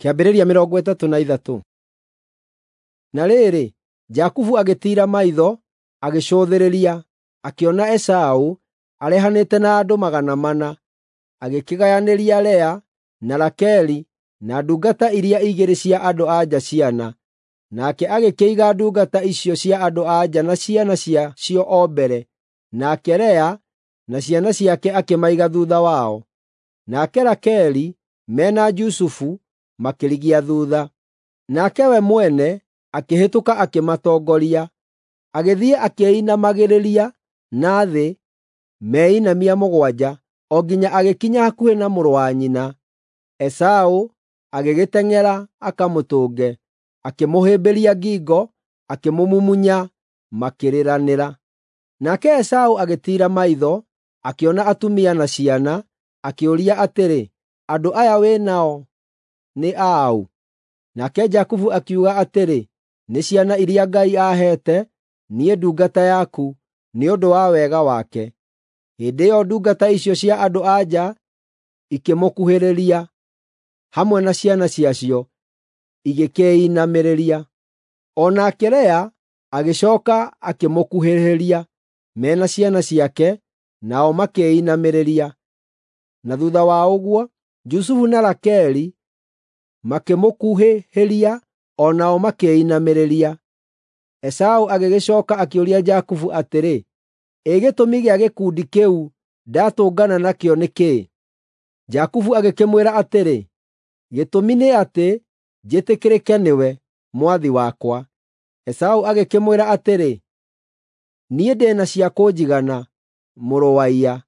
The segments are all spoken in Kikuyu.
Kĩambĩrĩria 33. Na rĩrĩ, Jakubu agĩtiira maitho, agĩcũthĩrĩria, akĩona Esaũ arehanĩte na andũ 400. Agĩkĩgayanĩria Lea, na Rakeli, na ndungata iria igĩrĩ cia andũ-a-nja ciana. Nake agĩkĩiga ndungata icio cia andũ-a-nja na ciana ciacio o mbere, nake Lea na ciana ciake akĩmaiga thuutha wao. Nake Rakeli me na Jusufu makĩrigia thuutha. Nake we mwene akĩhĩtũka akĩmatongoria, agĩthiĩ akĩĩinamagĩrĩria na thĩ meinamia mũgwanja, o nginya agĩkinya hakuhĩ na mũrũ wa nyina. Esaũ agĩgĩteng'era akamũtũnge, akĩmũhĩmbĩria ngingo, akĩmũmumunya, makĩrĩranĩra. Nake Esaũ agĩtiira maitho, akĩona atumia na ciana, akĩũria atĩrĩ, “Andũ aya wĩ nao nĩ a ũ?” Nake Jakubu akiuga atĩrĩ, “Nĩ ciana iria Ngai aaheete niĩ ndungata yaku nĩ ũndũ wa wega wake.” Hĩndĩ ĩyo ndungata icio cia andũ-a-nja ikĩmũkuhĩrĩria, hamwe na ciana ciacio, igĩkĩĩinamĩrĩria. O nake Lea agĩcooka akĩmũkuhĩrĩria me na ciana ciake, nao makĩĩinamĩrĩria. Na thuutha wa ũguo, Jusufu na Rakeli makĩmũkuhĩhĩria o nao makĩĩinamĩrĩria. Esaũ agĩgĩcooka akĩũria Jakubu atĩrĩ, “Ĩ gĩtũmi gĩa gĩkundi kĩu ndatũngana nakĩo nĩ kĩĩ?” Jakubu agĩkĩmwĩra atĩrĩ, “Gĩtũmi nĩ atĩ njĩtĩkĩrĩke nĩwe, mwathi wakwa.” Esaũ agĩkĩmwĩra atĩrĩ, “Niĩ ndĩ na cia kũnjigana, mũrũ wa iya.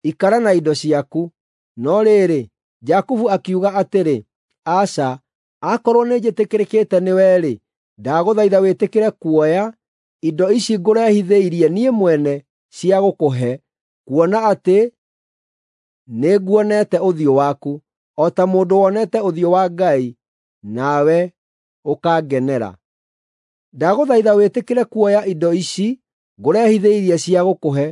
Ikara na indo ciaku.” No rĩrĩ, Jakubu akiuga atĩrĩ, “Aca, akorwo nĩnjĩtĩkĩrĩkĩte nĩwe-rĩ, ndagũthaitha wĩtĩkĩre kuoya indo ici ngũrehithĩirie niĩ mwene cia gũkũhe, kuona atĩ nĩnguonete ũthiũ waku, o ta mũndũ wonete ũthiũ wa Ngai, nawe ũkangenera. Ndagũthaitha wĩtĩkĩre kuoya indo ici ngũrehithĩirie cia gũkũhe,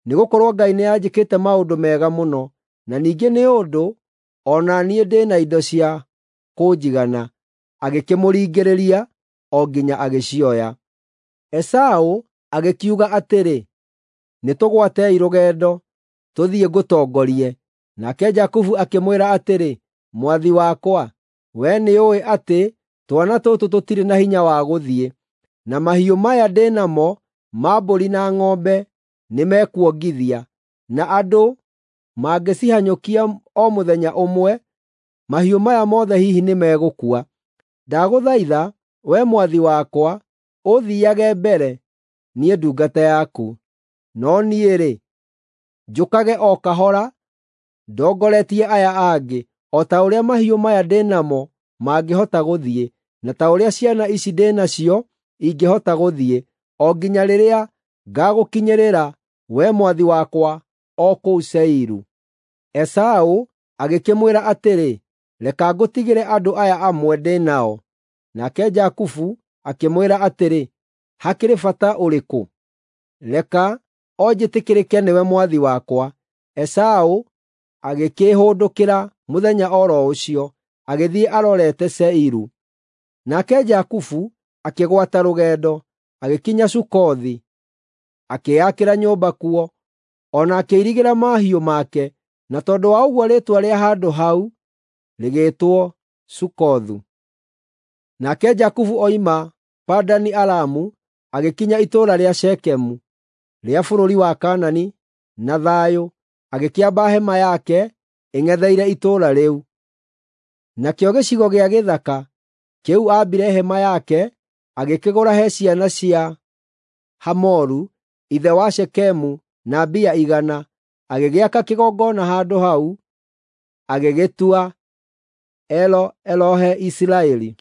nĩgũkorwo Ngai nĩanjĩkĩte maũndũ mega mũno, na ningĩ nĩ ũndũ o na niĩ ndĩ na indo cia kũnjigana.” Agĩkĩmũringĩrĩria o nginya agĩcioya. Esaũ agĩkiuga atĩrĩ, “Nĩtũgwatei rũgendo, tũthiĩ ngũtongorie.” Nake Jakubu akĩmwĩra atĩrĩ, “Mwathi wakwa, wee nĩũũĩ atĩ twana tũtũ tũtirĩ na hinya wa gũthiĩ, na mahiũ maya ndĩ namo ma mbũri na ng'ombe nĩmekuongithia, na andũ mangĩcihanyũkia o mũthenya ũmwe, mahiũ maya mothe hihi nĩmegũkua. Ndagũthaitha, wee mwathi wakwa, ũthiiage mbere, niĩ ndungata yaku. No niĩ-rĩ, njũkage o kahora ndongoretie aya angĩ, o ta ũrĩa mahiũ maya ndĩ namo mangĩhota gũthiĩ, na ta ũrĩa ciana ici ndĩ nacio ingĩhota gũthiĩ, o nginya rĩrĩa ngaagũkinyĩrĩra, wee mwathi wakwa, o kũu Seiru.” Esaũ agĩkĩmwĩra atĩrĩ, “Reka ngũtigĩre andũ aya amwe ndĩ nao.” Nake Jakubu akĩmwĩra atĩrĩ, “Hakĩrĩ bata ũrĩkũ? Reka o njĩtĩkĩrĩke nĩwe mwathi wakwa.” Esaũ agĩkĩĩhũndũkĩra mũthenya o ro ũcio, agĩthiĩ arorete Seiru. Nake Jakubu akĩgwata rũgendo, agĩkinya Sukothi, akĩĩakĩra nyũmba kuo, o na akĩirigĩra mahiũ make, na tondũ wa ũguo rĩĩtwa rĩa handũ hau rĩgĩĩtwo Sukothu. Nake Jakubu oima Padani-Aramu agĩkinya itũũra rĩa Shekemu rĩa bũrũri wa Kaanani na thayũ, agĩkĩamba hema yake ĩng'etheire itũũra rĩu. Nakĩo gĩcigo gĩa gĩthaka kĩu aambire hema yake agĩkĩgũra he ciana cia Hamoru, ithe wa Shekemu, na mbia 100, agĩgĩaka kĩgongona handũ hau, agĩgĩtua El-Elohe-Isiraeli.